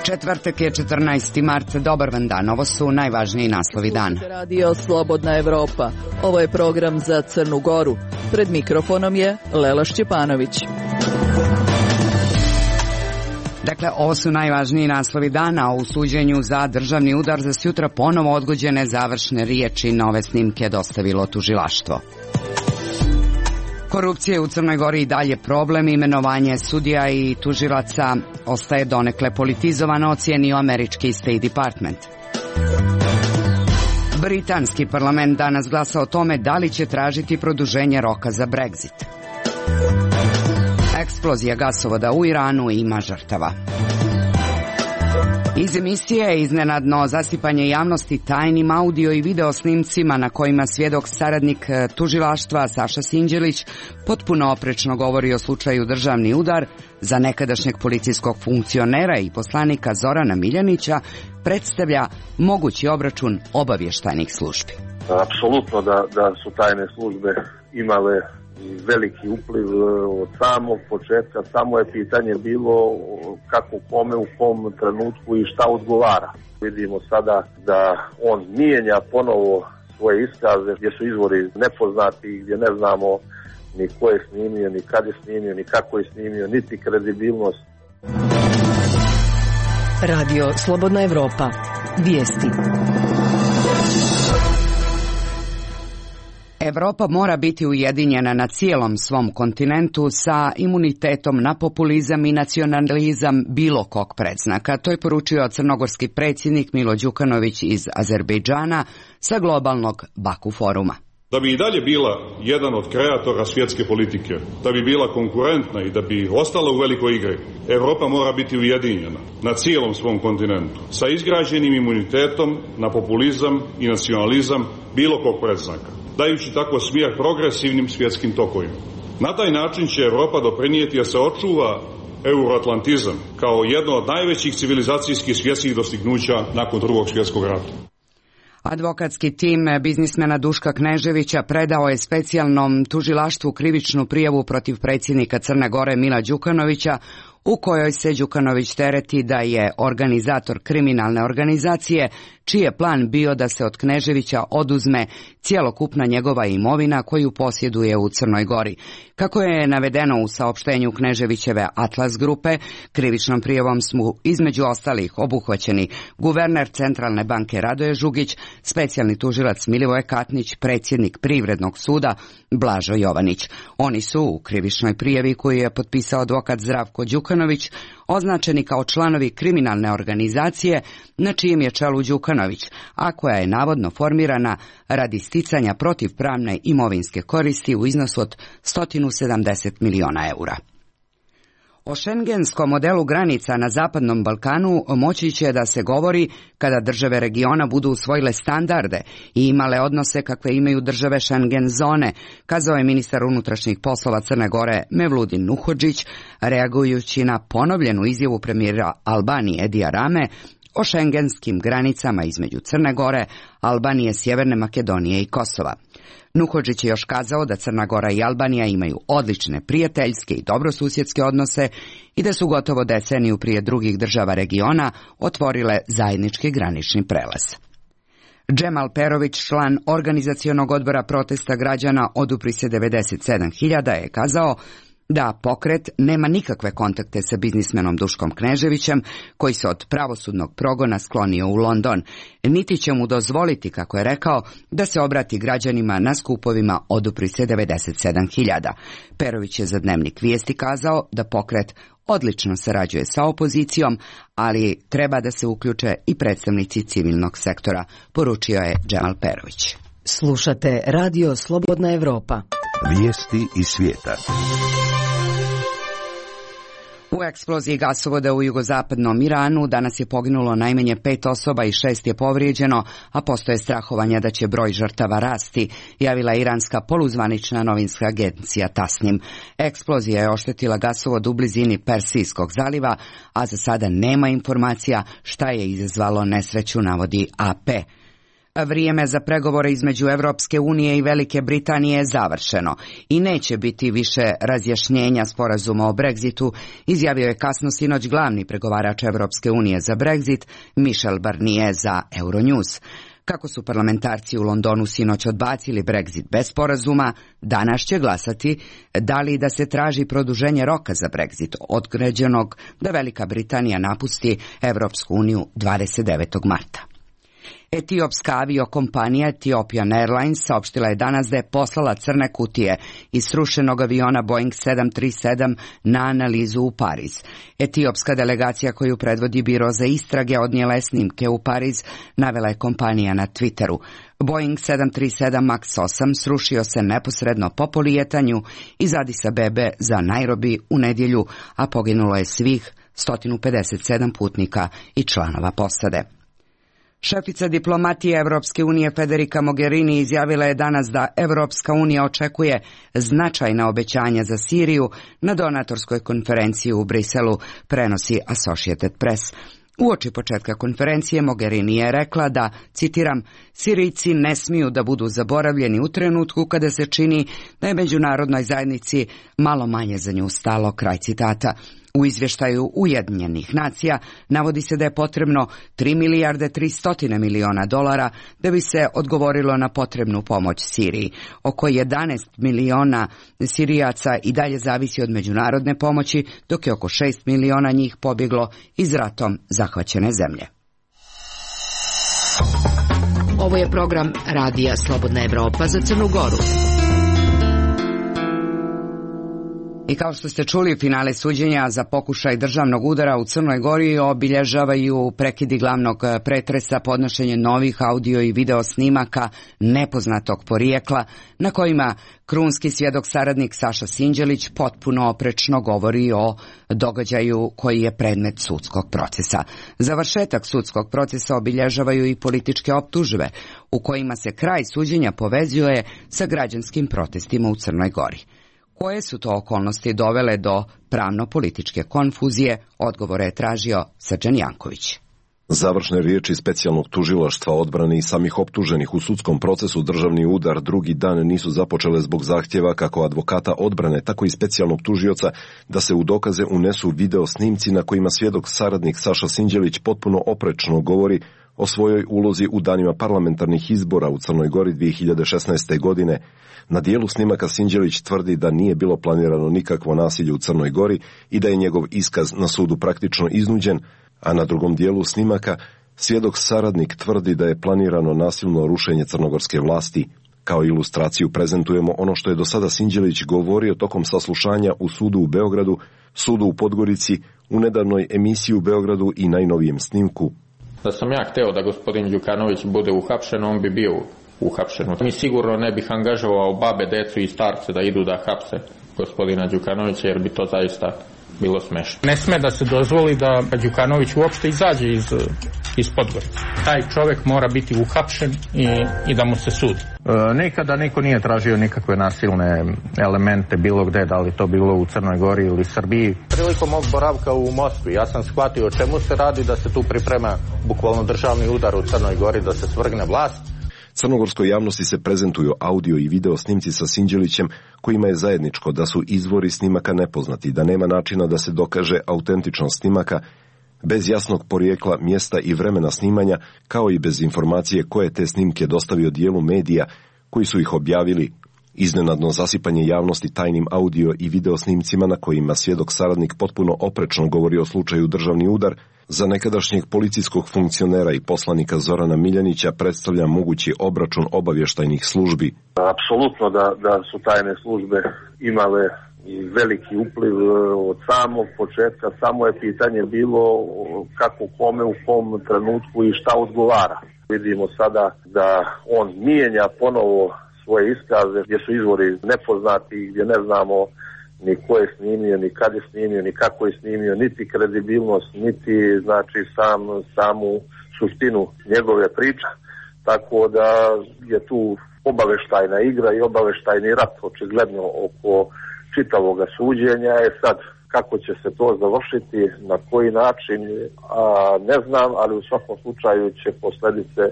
Četvrtak je 14. mart. Dobar vam dan. Ovo su najvažniji naslovi dana. Radio Slobodna Evropa. Ovo je program za Crnu Goru. Pred mikrofonom je Lela Šćepanović. Dakle, ovo su najvažniji naslovi dana. U suđenju za državni udar za sutra ponovo odgođene završne riječi nove snimke dostavilo tužilaštvo. Korupcija u Crnoj Gori i dalje problem. Imenovanje sudija i tužilaca ostaje donekle politizovano, ocijenio američki State Department. Britanski parlament danas glasa o tome da li će tražiti produženje roka za Brexit. Eksplozija gasovoda u Iranu ima žrtava. Iz emisije iznenadno zasipanje javnosti tajnim audio i video snimcima na kojima svjedok saradnik tužilaštva Saša Sinđelić potpuno oprečno govori o slučaju državni udar za nekadašnjeg policijskog funkcionera i poslanika Zorana Miljanića predstavlja mogući obračun obavještajnih službi. Apsolutno da su tajne službe imale veliki upliv od samog početka, samo je pitanje bilo kako kome, u kom trenutku i šta odgovara. Vidimo sada da on mijenja ponovo svoje iskaze gdje su izvori nepoznati, gdje ne znamo ni ko je snimio, ni kad je snimio, ni kako je snimio, niti kredibilnost. Radio Slobodna Evropa. Vijesti. Evropa mora biti ujedinjena na cijelom svom kontinentu sa imunitetom na populizam i nacionalizam bilo kog predznaka. To je poručio crnogorski predsjednik Milo Đukanović iz Azerbejdžana sa globalnog Baku foruma. Da bi i dalje bila jedan od kreatora svjetske politike, da bi bila konkurentna i da bi ostala u velikoj igri, Evropa mora biti ujedinjena na cijelom svom kontinentu sa izgrađenim imunitetom na populizam i nacionalizam bilo kog predznaka, dajući tako smjer progresivnim svjetskim tokovima. Na taj način će Evropa doprinijeti da se očuva euroatlantizam kao jedno od najvećih civilizacijskih svjetskih dostignuća nakon Drugog svjetskog rata. Advokatski tim biznismena Duška Kneževića predao je specijalnom tužilaštvu krivičnu prijavu protiv predsjednika Crne Gore Mila Đukanovića, u kojoj se Đukanović tereti da je organizator kriminalne organizacije, čiji je plan bio da se od Kneževića oduzme cjelokupna njegova imovina koju posjeduje u Crnoj Gori. Kako je navedeno u saopštenju Kneževićeve Atlas grupe, krivičnom prijavom su između ostalih obuhvaćeni guverner Centralne banke Radoje Žugić, specijalni tužilac Milivoje Katnić, predsjednik Privrednog suda Blažo Jovanić. Oni su u krivičnoj prijavi koju je potpisao advokat Zdravko Đukanović označeni kao članovi kriminalne organizacije na čijem je čelu Đukanović, a koja je navodno formirana radi sticanja protivpravne imovinske koristi u iznosu od 170 miliona eura. O šengenskom modelu granica na Zapadnom Balkanu moći će da se govori kada države regiona budu usvojile standarde i imale odnose kakve imaju države Schengen zone, kazao je ministar unutrašnjih poslova Crne Gore Mevludin Nuhodžić, reagujući na ponovljenu izjavu premijera Albanije Edija Rame o šengenskim granicama između Crne Gore, Albanije, Sjeverne Makedonije i Kosova. Nuhodžić je još kazao da Crna Gora i Albanija imaju odlične prijateljske i dobrosusjedske odnose i da su gotovo deceniju prije drugih država regiona otvorile zajednički granični prelaz. Džemal Perović, član organizacionog odbora protesta građana Odupri se 97.000, je kazao da pokret nema nikakve kontakte sa biznismenom Duškom Kneževićem, koji se od pravosudnog progona sklonio u London, niti će mu dozvoliti, kako je rekao, da se obrati građanima na skupovima Odupri se 97.000. Perović je za Dnevnik Vijesti kazao da pokret odlično sarađuje sa opozicijom, ali treba da se uključe i predstavnici civilnog sektora, poručio je Džemal Perović. Slušate Radio Slobodna Evropa. Vijesti iz svijeta. U eksploziji gasovoda u jugozapadnom Iranu danas je poginulo najmanje 5 osoba i 6 je povrijeđeno, a postoje strahovanja da će broj žrtava rasti, javila iranska poluzvanična novinska agencija Tasnim. Eksplozija je oštetila gasovod u blizini Persijskog zaliva, a za sada nema informacija šta je izazvalo nesreću, navodi AP. Vrijeme za pregovore između Evropske unije i Velike Britanije je završeno i neće biti više razjašnjenja sporazuma o Brexitu, izjavio je kasno sinoć glavni pregovarač Evropske unije za Brexit, Michel Barnier za Euronews. Kako su parlamentarci u Londonu sinoć odbacili Brexit bez sporazuma, danas će glasati da li da se traži produženje roka za Brexit, određenog da Velika Britanija napusti Evropsku uniju 29. marta. Etiopska aviokompanija Ethiopian Airlines saopštila je danas da je poslala crne kutije iz srušenog aviona Boeing 737 na analizu u Pariz. Etiopska delegacija koju predvodi Biro za istrage odnijela je snimke u Pariz, navela je kompanija na Twitteru. Boeing 737 MAX 8 srušio se neposredno po polijetanju iz Adis Abebe za Nairobi u nedjelju, a poginulo je svih 157 putnika i članova posade. Šefica diplomatije Evropske unije Federica Mogherini izjavila je danas da Evropska unija očekuje značajna obećanja za Siriju na donatorskoj konferenciji u Briselu, prenosi Associated Press. Uoči početka konferencije Mogherini je rekla da, citiram, Sirijci ne smiju da budu zaboravljeni u trenutku kada se čini da je međunarodnoj zajednici malo manje za nju stalo, kraj citata. U izvještaju Ujedinjenih nacija navodi se da je potrebno 3 milijarde 300 miliona dolara da bi se odgovorilo na potrebnu pomoć Siriji. Oko 11 miliona Sirijaca i dalje zavisi od međunarodne pomoći, dok je oko 6 miliona njih pobjeglo iz ratom zahvaćene zemlje. Ovo je program Radija Slobodna Evropa za Crnu Goru. I kao što ste čuli, finale suđenja za pokušaj državnog udara u Crnoj Gori obilježavaju prekidi glavnog pretresa, podnošenje novih audio i video snimaka nepoznatog porijekla, na kojima krunski svjedok saradnik Saša Sinđelić potpuno oprečno govori o događaju koji je predmet sudskog procesa. Završetak sudskog procesa obilježavaju i političke optužbe, u kojima se kraj suđenja povezuje sa građanskim protestima u Crnoj Gori. Koje su to okolnosti dovele do pravno-političke konfuzije, odgovore je tražio Srđan Janković. Završne riječi specijalnog tužilaštva odbrane i samih optuženih u sudskom procesu državni udar drugi dan nisu započele zbog zahtjeva kako advokata odbrane, tako i specijalnog tužioca da se u dokaze unesu video snimci na kojima svjedok saradnik Saša Sinđelić potpuno oprečno govori o svojoj ulozi u danima parlamentarnih izbora u Crnoj Gori 2016. godine. Na dijelu snimaka Sinđelić tvrdi da nije bilo planirano nikakvo nasilje u Crnoj Gori i da je njegov iskaz na sudu praktično iznuđen, a na drugom dijelu snimaka svjedok saradnik tvrdi da je planirano nasilno rušenje crnogorske vlasti. Kao ilustraciju prezentujemo ono što je do sada Sinđelić govorio tokom saslušanja u sudu u Beogradu, sudu u Podgorici, u nedavnoj emisiji u Beogradu i najnovijem snimku. Da sam ja hteo da gospodin Đukanović bude uhapšen, on bi bio uhapšen. Mi sigurno ne bih angažovao babe, decu i starce da idu da hapse gospodina Đukanovića, jer bi to zaista bilo smešno. Ne sme da se dozvoli da Đukanović uopšte izađe iz Podgorice. Taj čovjek mora biti uhapšen i da mu se sudi. Nikada niko nije tražio nikakve nasilne elemente bilo gde, da li to bilo u Crnoj Gori ili Srbiji. Prilikom mog boravka u Moskvi ja sam shvatio o čemu se radi, da se tu priprema bukvalno državni udar u Crnoj Gori, da se svrgne vlast. Crnogorskoj javnosti se prezentuju audio i video snimci sa Sinđelićem, kojima je zajedničko da su izvori snimaka nepoznati, da nema načina da se dokaže autentičnost snimaka, bez jasnog porijekla, mjesta i vremena snimanja, kao i bez informacije koje te snimke dostavio dijelu medija koji su ih objavili. Iznenadno zasipanje javnosti tajnim audio i video snimcima na kojima svjedok saradnik potpuno oprečno govori o slučaju državni udar, za nekadašnjeg policijskog funkcionera i poslanika Zorana Miljanića predstavlja mogući obračun obavještajnih službi. Apsolutno da su tajne službe imale veliki upliv od samog početka, samo je pitanje bilo kako kome u kom trenutku i šta odgovara. Vidimo sada da on mijenja ponovo svoje iskaze gdje su izvori nepoznati, gdje ne znamo ni ko je snimio, ni kad je snimio, ni kako je snimio, niti kredibilnost, niti znači samu suštinu njegove priče. Tako da je tu obaveštajna igra i obaveštajni rat očigledno oko čitavoga suđenja. Sad kako će se to završiti, na koji način, ne znam, ali u svakom slučaju će posljedice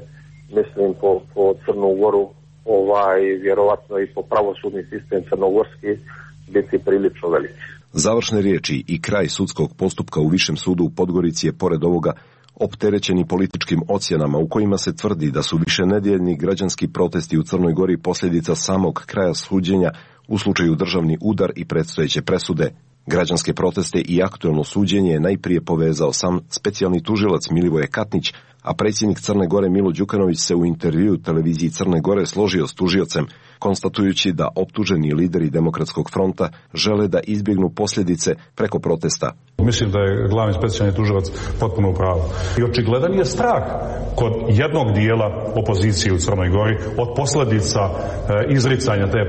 mislim po Crnu Goru, vjerovatno i po pravosudni sistem crnogorski biti prilično veliki. Završne riječi i kraj sudskog postupka u Višem sudu u Podgorici je pored ovoga opterećeni političkim ocjenama u kojima se tvrdi da su višenedjeljni građanski protesti u Crnoj Gori posljedica samog kraja suđenja u slučaju državni udar i predstojeće presude. Građanske proteste i aktuelno suđenje je najprije povezao sam specijalni tužilac Milivoje Katnić, a predsjednik Crne Gore Milo Đukanović se u intervjuu televiziji Crne Gore složio s tužiocem, konstatujući da optuženi lideri Demokratskog fronta žele da izbjegnu posljedice preko protesta. Mislim da je glavni specijalni tužilac potpuno u pravu. I očigledan je strah kod jednog dijela opozicije u Crnoj Gori od posljedica izricanja te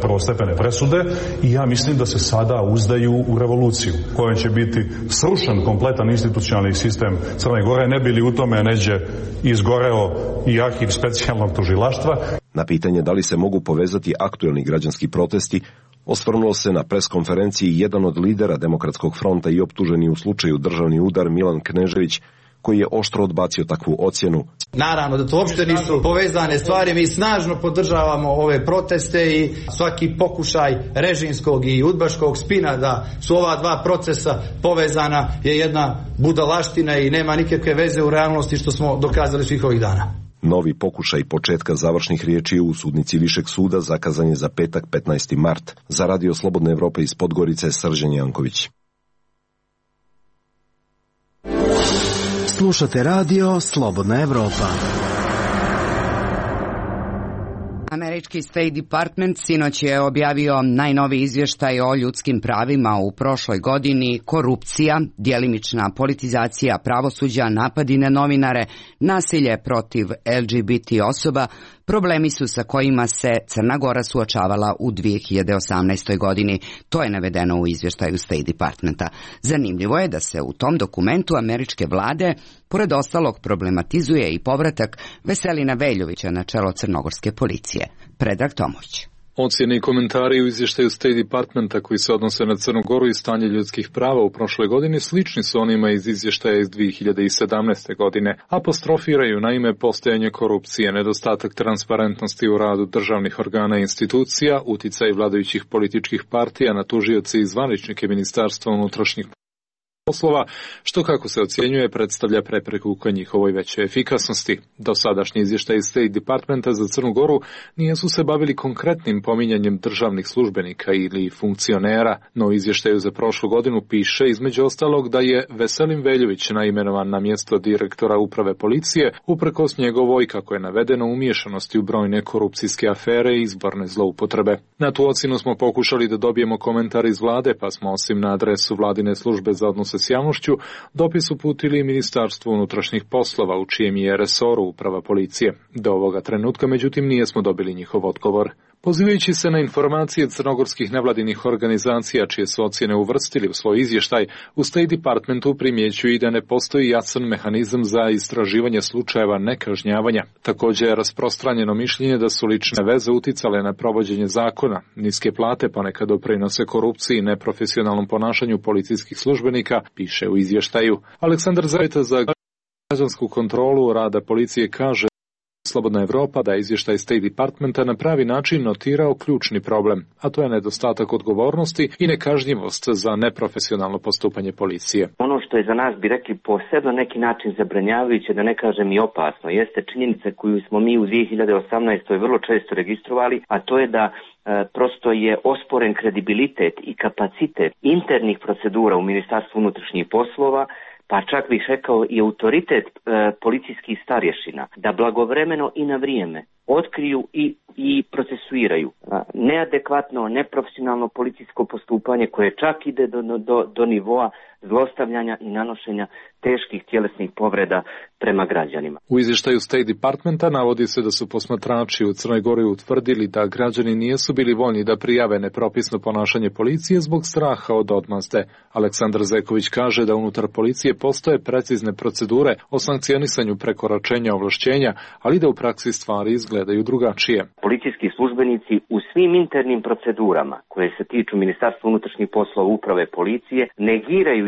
prvostepene presude i ja mislim da se sada uzdaju u revoluciju kojom će biti srušen kompletan institucionalni sistem Crne Gore, ne bi li u tome neđe izgoreo i arhiv specijalnog tužilaštva. Na pitanje da li se mogu povezati aktuelni građanski protesti, osvrnuo se na preskonferenciji jedan od lidera Demokratskog fronta i optuženi u slučaju državni udar Milan Knežević, koji je oštro odbacio takvu ocjenu. Naravno da to uopšte nisu povezane stvari, mi snažno podržavamo ove proteste i svaki pokušaj režimskog i udbaškog spina da su ova dva procesa povezana je jedna budalaština i nema nikakve veze u realnosti što smo dokazali svih ovih dana. Novi pokušaj početka završnih riječi u sudnici Višeg suda zakazan je za petak 15. mart. Za Radio Slobodne Evrope iz Podgorice, Srđan Janković. Slušate Radio Slobodna Evropa. Američki State Department sinoć je objavio najnoviji izvještaj o ljudskim pravima u prošloj godini. Korupcija, djelimična politizacija pravosuđa, napadi na novinare, nasilje protiv LGBT osoba, problemi su sa kojima se Crna Gora suočavala u 2018. godini. To je navedeno u izvještaju State Departmenta. Zanimljivo je da se u tom dokumentu američke vlade pored ostalog problematizuje i povratak Veselina Veljovića na čelo crnogorske policije. Predrag Tomović. Ocjene i komentari u izvještaju State Departmenta koji se odnose na Crnu Goru i stanje ljudskih prava u prošloj godini slični su onima iz izvještaja iz 2017. godine. Apostrofiraju naime postojanje korupcije, nedostatak transparentnosti u radu državnih organa i institucija, uticaj vladajućih političkih partija na tužioce i zvaničnike Ministarstva unutrašnjih poslova, što kako se ocjenjuje predstavlja prepreku ka njihovoj većoj efikasnosti. Dosadašnji izvještaj State Departmenta za Crnu Goru nisu se bavili konkretnim pominjanjem državnih službenika ili funkcionera, no u izvještaju za prošlu godinu piše između ostalog da je Veselin Veljović naimenovan na mjesto direktora uprave policije uprkos njegovoj, kako je navedeno, umiješanosti u brojne korupcijske afere i izborne zloupotrebe. Na tu ocjenu smo pokušali da dobijemo komentar iz vlade, pa smo osim na adresu vladine službe za odnose s javnošću dopis uputili Ministarstvu unutrašnjih poslova u čijem je resoru uprava policije. Do ovoga trenutka, međutim, nismo dobili njihov odgovor. Pozivajući se na informacije crnogorskih nevladinih organizacija čije su ocjene uvrstili u svoj izvještaj, u State Departmentu primjećuju i da ne postoji jasan mehanizam za istraživanje slučajeva nekažnjavanja. Također je rasprostranjeno mišljenje da su lične veze uticale na provođenje zakona, niske plate ponekad doprinose korupciji i neprofesionalnom ponašanju policijskih službenika, piše u izvještaju. Aleksandar Zajta za građansku kontrolu rada policije kaže Slobodna Evropa da je izvještaj State Departmenta na pravi način notirao ključni problem, a to je nedostatak odgovornosti i nekažnjivost za neprofesionalno postupanje policije. Ono što je za nas, bi rekli, posebno neki način zabranjavajuće, da ne kažem i opasno, jeste činjenica koju smo mi u 2018. vrlo često registrovali, a to je da prosto je osporen kredibilitet i kapacitet internih procedura u Ministarstvu unutrašnjih poslova, pa čak bih rekao i autoritet policijskih starješina, da blagovremeno i na vrijeme otkriju i procesuiraju neadekvatno, neprofesionalno policijsko postupanje koje čak ide do nivoa zlostavljanja i nanošenja teških tjelesnih povreda prema građanima. U izvještaju State Departmenta navodi se da su posmatrači u Crnoj Gori utvrdili da građani nisu bili voljni da prijave nepropisno ponašanje policije zbog straha od odmazde. Aleksandar Zeković kaže da unutar policije postoje precizne procedure o sankcionisanju prekoračenja ovlašćenja, ali da u praksi stvari izgledaju drugačije. policijski službenici u svim internim procedurama koje se tiču Ministarstva unutrašnjih poslova, uprave, policije, negiraju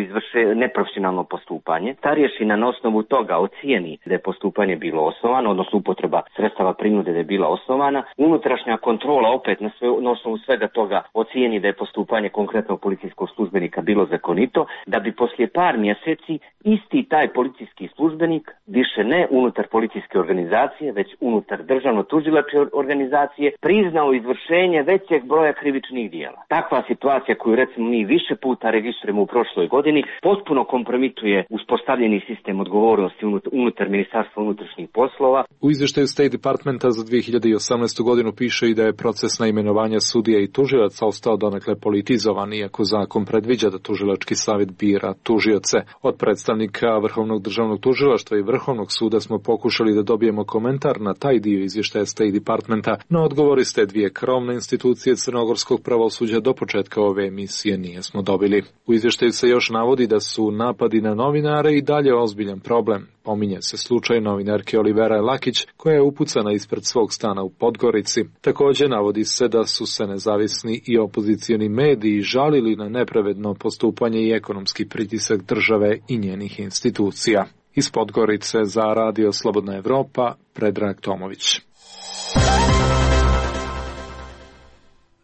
neprofesionalno postupanje. Ta rješina na osnovu toga ocijeni da je postupanje bilo osnovano, odnosno upotreba sredstava prinude da je bila osnovana. Unutrašnja kontrola opet na osnovu svega toga ocijeni da je postupanje konkretnog policijskog službenika bilo zakonito, da bi poslije par mjeseci isti taj policijski službenik više ne unutar policijske organizacije, već unutar državno-tužilačke organizacije priznao izvršenje većeg broja krivičnih dijela. Takva situacija koju recimo mi više puta registrujemo u prošloj godini potpuno kompromituje uspostavljeni sistem odgovornosti unutar Ministarstva unutrašnjih poslova. U izvještaju State Departmenta za 2018. godinu piše i da je proces na imenovanja sudija i tužilaca ostao donekle politizovan, iako zakon predviđa da tužilački savjet bira tužioce. Od predstavnika Vrhovnog državnog tužilaštva i Vrhovnog suda smo pokušali da dobijemo komentar na taj dio izvještaja State Departmenta, no odgovori s te dvije krovne institucije crnogorskog pravosuđa do početka ove emisije nismo dobili. U izvještaju se još navodi da su napadi na novinare i dalje ozbiljan problem. Pominje se slučaj novinarke Olivera Lakić koja je upucana ispred svog stana u Podgorici. Također navodi se da su se nezavisni i opozicioni mediji žalili na nepravedno postupanje i ekonomski pritisak države i njenih institucija. Iz Podgorice za Radio Slobodna Evropa, Predrag Tomović.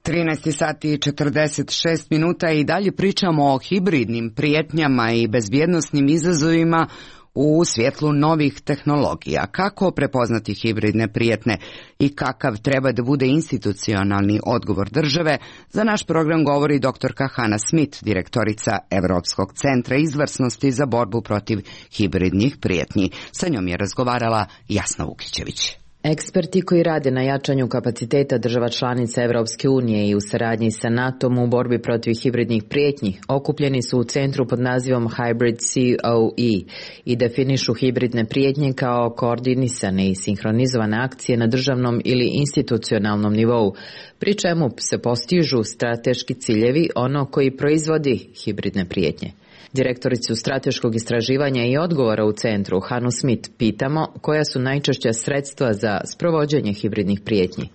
13 sati i 46 minuta i dalje pričamo o hibridnim prijetnjama i bezbjednosnim izazovima u svjetlu novih tehnologija. Kako prepoznati hibridne prijetnje i kakav treba da bude institucionalni odgovor države, za naš program govori doktorka Hana Smith, direktorica Evropskog centra izvrsnosti za borbu protiv hibridnih prijetnji. Sa njom je razgovarala Jasna Vukićević. Eksperti koji rade na jačanju kapaciteta država članica Evropske unije i u saradnji sa NATO-om u borbi protiv hibridnih prijetnji okupljeni su u centru pod nazivom Hybrid COE i definišu hibridne prijetnje kao koordinisane i sinhronizovane akcije na državnom ili institucionalnom nivou, pri čemu se postižu strateški ciljevi ono koji proizvodi hibridne prijetnje. Direktoricu strateškog istraživanja i odgovora u centru, Hanu Smith, pitamo koja su najčešća sredstva za sprovođenje hibridnih prijetnji.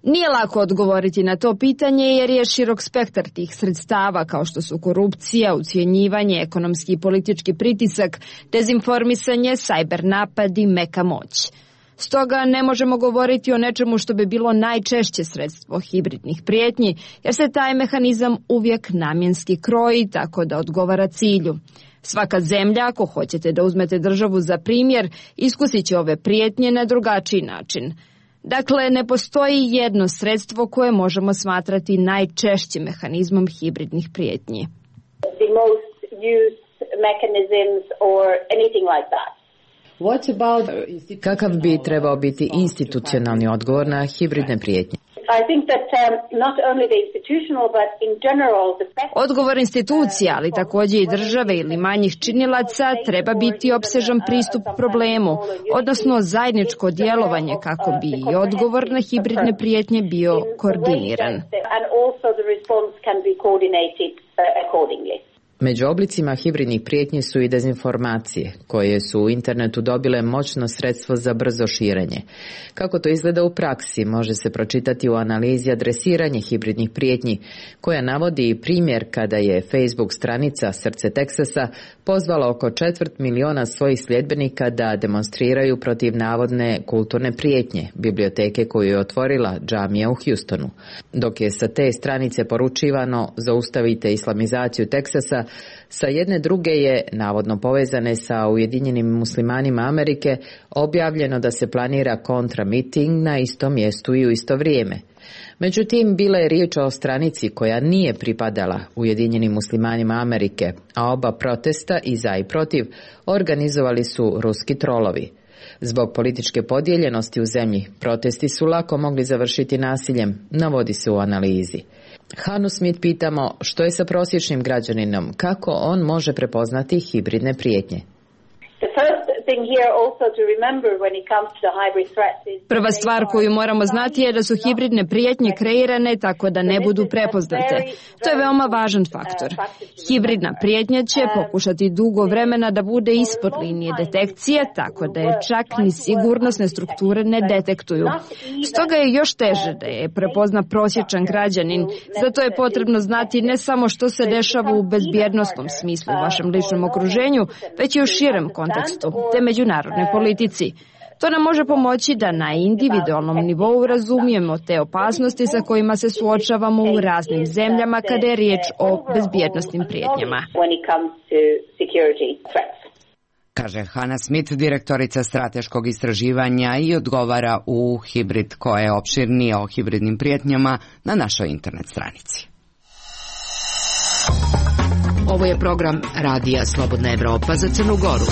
Nije lako odgovoriti na to pitanje jer je širok spektar tih sredstava kao što su korupcija, ucjenjivanje, ekonomski i politički pritisak, dezinformisanje, sajber napadi, meka moć. Stoga ne možemo govoriti o nečemu što bi bilo najčešće sredstvo hibridnih prijetnji, jer se taj mehanizam uvijek namjenski kroji tako da odgovara cilju. Svaka zemlja, ako hoćete da uzmete državu za primjer, iskusit će ove prijetnje na drugačiji način. Dakle, ne postoji jedno sredstvo koje možemo smatrati najčešćim mehanizmom hibridnih prijetnji. The most used mechanisms or anything like that. Kakav bi trebao biti institucionalni odgovor na hibridne prijetnje? Odgovor institucija, ali također i države ili manjih činilaca, treba biti opsežan pristup problemu, odnosno zajedničko djelovanje kako bi i odgovor na hibridne prijetnje bio koordiniran. Među oblicima hibridnih prijetnji su i dezinformacije, koje su u internetu dobile moćno sredstvo za brzo širenje. Kako to izgleda u praksi, može se pročitati u analizi adresiranje hibridnih prijetnji, koja navodi i primjer kada je Facebook stranica Srce Teksasa pozvala oko 250.000 svojih sljedbenika da demonstriraju protiv navodne kulturne prijetnje, biblioteke koju je otvorila džamija u Houstonu. Dok je sa te stranice poručivano zaustavite islamizaciju Teksasa, sa jedne druge je, navodno povezane sa Ujedinjenim muslimanima Amerike, objavljeno da se planira kontramiting na istom mjestu i u isto vrijeme. Međutim, bila je riječ o stranici koja nije pripadala Ujedinjenim muslimanima Amerike, a oba protesta i za i protiv organizovali su ruski trolovi. Zbog političke podijeljenosti u zemlji, protesti su lako mogli završiti nasiljem, navodi se u analizi. Hanu Smith pitamo što je sa prosječnim građaninom, kako on može prepoznati hibridne prijetnje. The first Prva stvar koju moramo znati je da su hibridne prijetnje kreirane tako da ne budu prepoznate. To je veoma važan faktor. Hibridna prijetnja će pokušati dugo vremena da bude ispod linije detekcije, tako da je čak ni sigurnosne strukture ne detektuju. Stoga je još teže da je prepozna prosječan građanin. Zato je potrebno znati ne samo što se dešava u bezbjednosnom smislu u vašem ličnom okruženju, već i u širem kontekstu, te međunarodnoj politici. To nam može pomoći da na individualnom nivou razumijemo te opasnosti sa kojima se suočavamo u raznim zemljama kada je riječ o bezbjednosnim prijetnjama. Kaže Hannah Smith, direktorica strateškog istraživanja, i odgovara u Hibrid, koja je opširnije o hibridnim prijetnjama na našoj internet stranici. Ovo je program Radija Slobodna Evropa za Crnu Goru.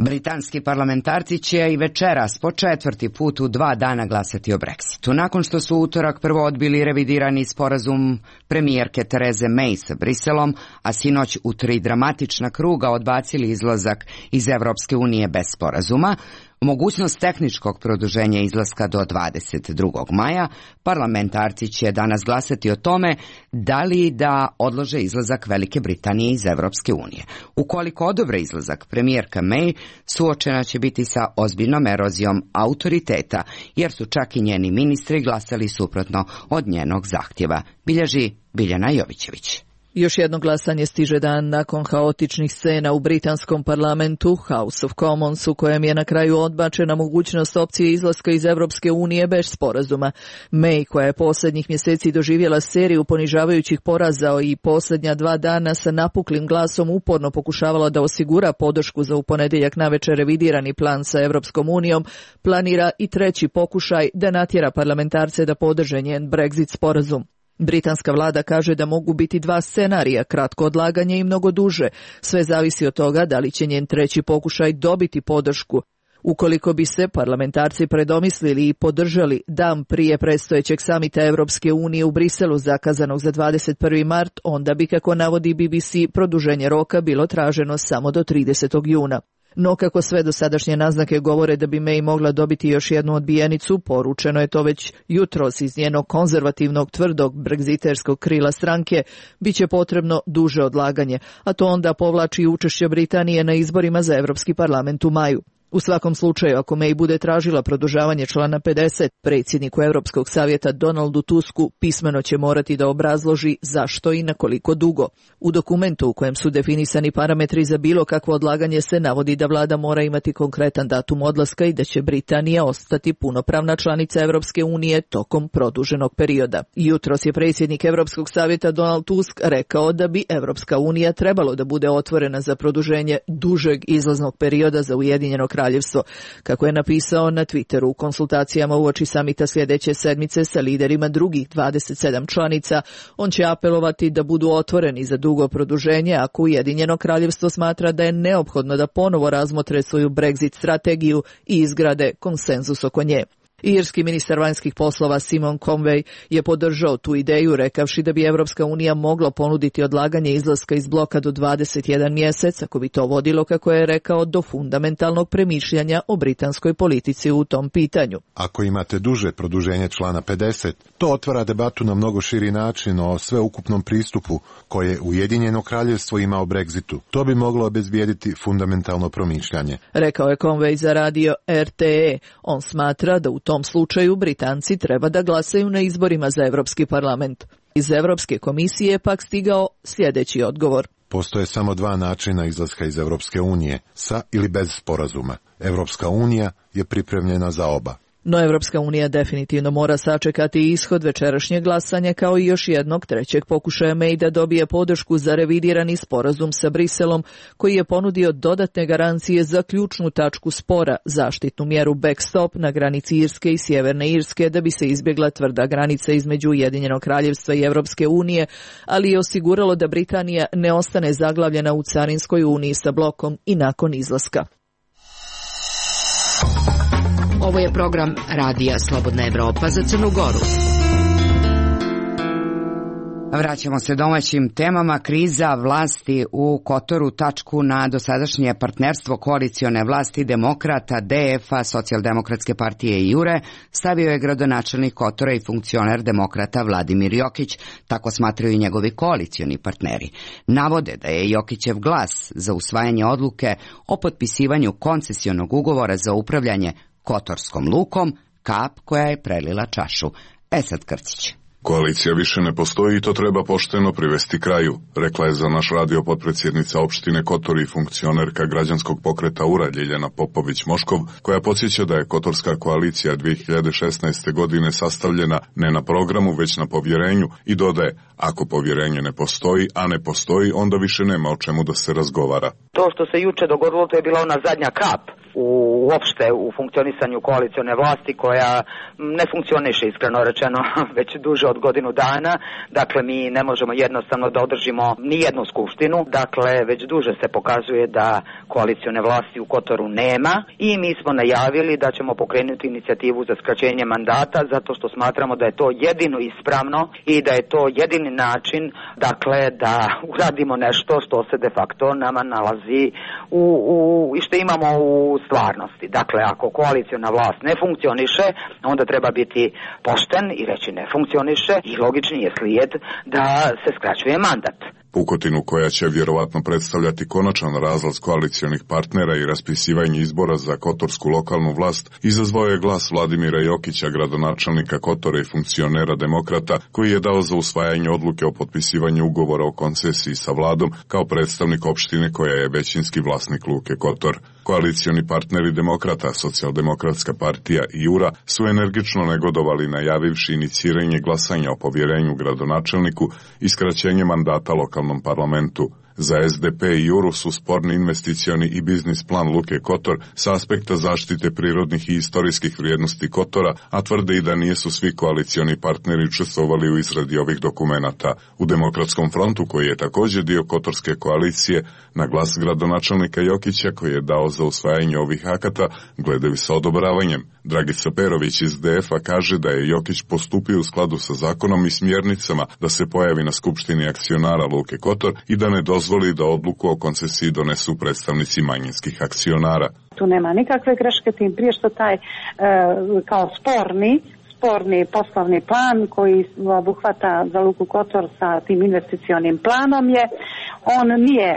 Britanski parlamentarci će i večeras po 4. put u 2 dana glasati o Brexitu. Nakon što su utorak prvo odbili revidirani sporazum premijerke Tereze May sa Briselom, a sinoć u 3 dramatična kruga odbacili izlazak iz Evropske unije bez sporazuma, mogućnost tehničkog produženja izlaska do 22. maja, parlamentarci će danas glasati o tome da li da odlože izlazak Velike Britanije iz Evropske unije. Ukoliko odobre izlazak, premijerka May suočena će biti sa ozbiljnom erozijom autoriteta, jer su čak i njeni ministri glasali suprotno od njenog zahtjeva, bilježi Biljana Jovićević. Još jedno glasanje stiže dan nakon haotičnih scena u britanskom parlamentu House of Commons, u kojem je na kraju odbačena mogućnost opcije izlaska iz Evropske unije bez sporazuma. May, koja je posljednjih mjeseci doživjela seriju ponižavajućih poraza i posljednja 2 dana sa napuklim glasom uporno pokušavala da osigura podršku za u ponedjeljak navečer revidirani plan sa Evropskom unijom, planira i 3. pokušaj da natjera parlamentarce da podrže njen Brexit sporazum. Britanska vlada kaže da mogu biti 2 scenarija, kratko odlaganje i mnogo duže. Sve zavisi od toga da li će njen 3. pokušaj dobiti podršku. Ukoliko bi se parlamentarci predomislili i podržali dan prije predstojećeg samita Evropske unije u Briselu zakazanog za 21. mart, onda bi, kako navodi BBC, produženje roka bilo traženo samo do 30. juna. No kako sve dosadašnje naznake govore da bi May mogla dobiti još jednu odbijenicu, poručeno je to već jutros iz njenog konzervativnog tvrdog bregziterskog krila stranke, bit će potrebno duže odlaganje, a to onda povlači učešće Britanije na izborima za Europski parlament u maju. U svakom slučaju, ako May bude tražila produžavanje člana 50, predsjedniku Europskog savjeta Donaldu Tusku pismeno će morati da obrazloži zašto i na koliko dugo. U dokumentu u kojem su definisani parametri za bilo kakvo odlaganje se navodi da vlada mora imati konkretan datum odlaska i da će Britanija ostati punopravna članica Europske unije tokom produženog perioda. Jutros je predsjednik Europskog savjeta Donald Tusk rekao da bi Europska unija trebalo da bude otvorena za produženje dužeg izlaznog perioda za Ujedinjeno Kraljevstvo. Kako je napisao na Twitteru, u konsultacijama uoči samita sljedeće sedmice sa liderima drugih 27 članica, on će apelovati da budu otvoreni za dugo produženje ako Ujedinjeno Kraljevstvo smatra da je neophodno da ponovo razmotre svoju Brexit strategiju i izgrade konsenzus oko nje. Irski ministar vanjskih poslova Simon Conway je podržao tu ideju, rekavši da bi Evropska unija mogla ponuditi odlaganje izlaska iz bloka do 21 mjesec, ako bi to vodilo, kako je rekao, do fundamentalnog premišljanja o britanskoj politici u tom pitanju. Ako imate duže produženje člana 50, to otvara debatu na mnogo širi način o sveukupnom pristupu koje Ujedinjeno Kraljevstvo ima o Brexitu. To bi moglo obezbijediti fundamentalno promišljanje. Rekao je Conway za radio RTE. On smatra da u tom slučaju Britanci treba da glasaju na izborima za Europski parlament. Iz Europske komisije je pak stigao sljedeći odgovor. Postoje samo 2 načina izlaska iz Europske unije, sa ili bez sporazuma. Europska unija je pripremljena za oba. No Evropska unija definitivno mora sačekati ishod večerašnjeg glasanja kao i još jednog 3. pokušaja May da dobije podršku za revidirani sporazum sa Briselom, koji je ponudio dodatne garancije za ključnu tačku spora, zaštitnu mjeru backstop na granici Irske i Sjeverne Irske, da bi se izbjegla tvrda granica između Ujedinjenog Kraljevstva i Evropske unije, ali je osiguralo da Britanija ne ostane zaglavljena u carinskoj uniji sa blokom i nakon izlaska. Ovo je program Radija Slobodna Evropa za Crnu Goru. Vraćamo se domaćim temama. Kriza vlasti u Kotoru tačku na dosadašnje partnerstvo koalicione vlasti Demokrata, DF-a, Socijaldemokratske partije i Jure stavio je gradonačelnik Kotora i funkcioner Demokrata Vladimir Jokić, tako smatraju i njegovi koalicioni partneri. Navode da je Jokićev glas za usvajanje odluke o potpisivanju koncesionog ugovora za upravljanje Kotorskom lukom kap koja je prelila čašu. Esad Krcić. Koalicija više ne postoji i to treba pošteno privesti kraju, rekla je za naš radio potpredsjednica opštine Kotor i funkcionerka građanskog pokreta URA Ljiljana Popović-Moškov, koja podsjeća da je Kotorska koalicija 2016. godine sastavljena ne na programu već na povjerenju i dodaje, ako povjerenje ne postoji, a ne postoji, onda više nema o čemu da se razgovara. To što se juče dogodilo, to je bila ona zadnja kap uopšte u funkcionisanju koalicione vlasti koja ne funkcioniše, iskreno rečeno, već duže od godinu dana. Dakle, mi ne možemo jednostavno da održimo ni jednu skupštinu. Dakle, već duže se pokazuje da koalicione vlasti u Kotoru nema i mi smo najavili da ćemo pokrenuti inicijativu za skraćenje mandata zato što smatramo da je to jedino ispravno i da je to jedini način, dakle, da uradimo nešto što se de facto nama nalazi i što imamo u stvarnosti. Dakle, ako koaliciona vlast ne funkcioniše, onda treba biti pošten i reći ne funkcioniše i logični je slijed da se skraćuje mandat. Pukotinu koja će vjerovatno predstavljati konačan razlaz koalicionih partnera i raspisivanje izbora za kotorsku lokalnu vlast izazvao je glas Vladimira Jokića, gradonačelnika Kotora i funkcionera Demokrata, koji je dao za usvajanje odluke o potpisivanju ugovora o koncesiji sa vladom kao predstavnik opštine koja je većinski vlasnik luke Kotor. Koalicioni partneri Demokrata, Socijaldemokratska partija i Jura su energično negodovali najavivši iniciranje glasanja o povjerenju gradonačelniku i skraćenje mandata lokalnom parlamentu. Za SDP i Juru su sporni investicioni i biznis plan luke Kotor sa aspekta zaštite prirodnih i istorijskih vrijednosti Kotora, a tvrde i da nisu svi koalicioni partneri učestvovali u izradi ovih dokumenata. U Demokratskom frontu, koji je također dio Kotorske koalicije, na glas gradonačelnika Jokića, koji je dao za usvajanje ovih akata, gledaju sa odobravanjem. Dragica Perović iz DF-a kaže da je Jokić postupio u skladu sa zakonom i smjernicama da se pojavi na skupštini akcionara luke Kotor i da ne dozvoli da odluku o koncesiji donesu predstavnici manjinskih akcionara. Tu nema nikakve greške, tim prije što taj kao sporni poslovni plan koji obuhvata za luku Kotor sa tim investicionim planom on nije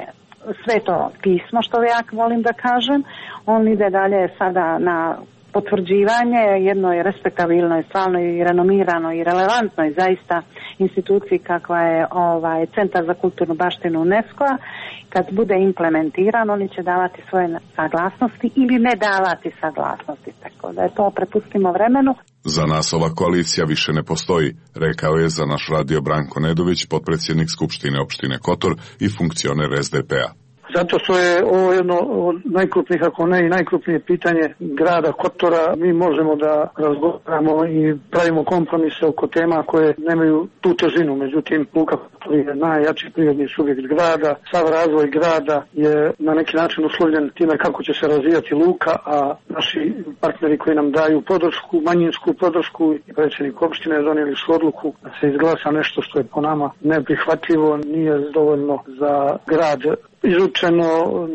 sveto pismo, što ja volim da kažem, on ide dalje sada na potvrđivanje jednoj respektabilnoj, stvarno i renomiranoj i relevantnoj zaista instituciji kakva je Centar za kulturnu baštinu UNESCO-a. Kad bude implementiran, oni će davati svoje saglasnosti ili ne davati saglasnosti, tako da je to prepustimo vremenu. Za nas ova koalicija više ne postoji, rekao je za naš radio Branko Nedović, potpredsjednik Skupštine opštine Kotor i funkcioner SDP-a. Zato što je ovo jedno od najkrupnijih, ako ne i najkrupnije pitanje grada Kotora. Mi možemo da razgovaramo i pravimo kompromise oko tema koje nemaju tu težinu. Međutim, luka Kotor je najjači prirodni subjekt grada. Sav razvoj grada je na neki način uslovljen time kako će se razvijati luka, a naši partneri koji nam daju podršku, manjinsku podršku i predsjednik opštine donijeli su odluku da se izglasa nešto što je po nama neprihvatljivo, nije dovoljno za grad izučeno,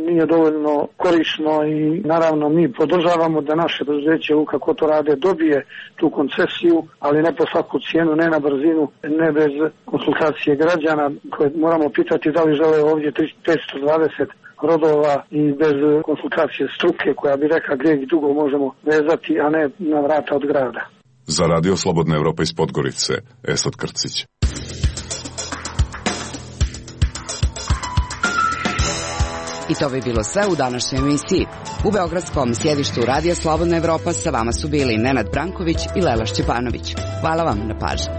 nije dovoljno korisno i naravno mi podržavamo da naše preduzeće Luka Kotorade dobije tu koncesiju, ali ne po svaku cijenu, ne na brzinu, ne bez konsultacije građana koje moramo pitati da li žele ovdje 520 rodova i bez konsultacije struke koja bi rekla gdje i dugo možemo vezati, a ne na vrata od grada. Za radio Slobodna Evropa iz Podgorice, Esad Krcić. I to bi bilo sve u današnjoj emisiji. U beogradskom sjedištu Radija Slobodna Evropa sa vama su bili Nenad Branković i Lela Šćepanović. Hvala vam na pažnji.